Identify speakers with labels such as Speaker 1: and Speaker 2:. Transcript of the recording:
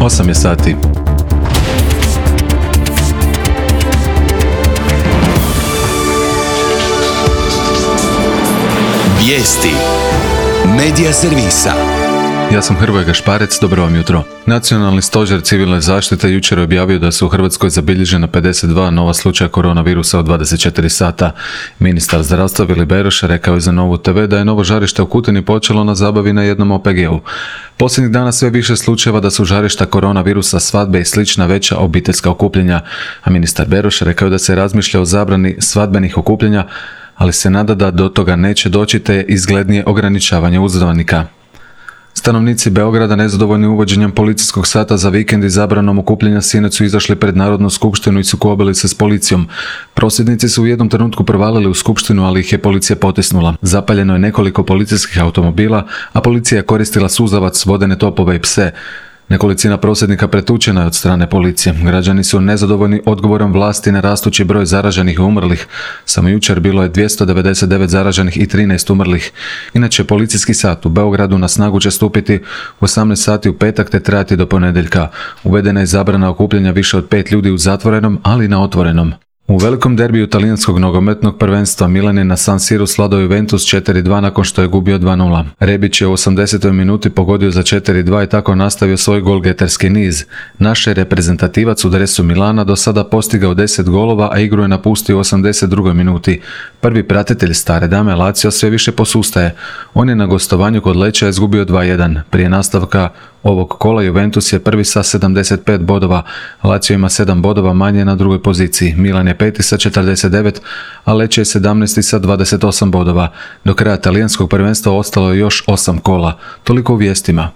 Speaker 1: 8 je sati.
Speaker 2: Vijesti Medija servisa.
Speaker 1: Ja sam Hrvoje Gašparec, dobro vam jutro. Nacionalni stožer civilne zaštite jučer je objavio da su u Hrvatskoj zabilježena 52 nova slučaja koronavirusa u 24 sata. Ministar zdravstva Vili Beroš rekao je za Novu TV da je novo žarište u Kutini počelo na zabavi na jednom OPG-u. Posljednjih dana sve više slučajeva da su žarišta koronavirusa svadbe i slična veća obiteljska okupljenja, a ministar Beroš rekao da se razmišlja o zabrani svadbenih okupljanja, ali se nada da do toga neće doći te izglednije ograničavanje uzvanika. Stanovnici Beograda nezadovoljni uvođenjem policijskog sata za vikend i zabranom okupljanja sinoć su izašli pred Narodnu skupštinu i sukobili se s policijom. Prosvjednici su u jednom trenutku provalili u skupštinu, ali ih je policija potisnula. Zapaljeno je nekoliko policijskih automobila, a policija je koristila suzavac, vodene topove i pse. Nekolicina prosvjednika pretučena je od strane policije. Građani su nezadovoljni odgovorom vlasti na rastući broj zaraženih i umrlih. Samo jučer bilo je 299 zaraženih i 13 umrlih. Inače, policijski sat u Beogradu na snagu će stupiti u 18 sati u petak te trajati do ponedjeljka. Uvedena je zabrana okupljanja više od 5 ljudi u zatvorenom, ali i na otvorenom. U velikom derbiju talijanskog nogometnog prvenstva Milan je na San Siru sladao Juventus 4-2 nakon što je gubio 2-0. Rebić je u 80. minuti pogodio za 4-2 i tako nastavio svoj golgeterski niz. Naš je reprezentativac u dresu Milana do sada postigao 10 golova, a igru je napustio u 82. minuti. Prvi pratitelj stare dame Lazio sve više posustaje. On je na gostovanju kod Leča izgubio 2-1. Prije nastavka ovog kola Juventus je prvi sa 75 bodova, Lazio ima 7 bodova manje na drugoj poziciji, Milan je peti sa 49, a Lecce je 17 sa 28 bodova. Do kraja talijanskog prvenstva ostalo je još 8 kola. Toliko u vijestima.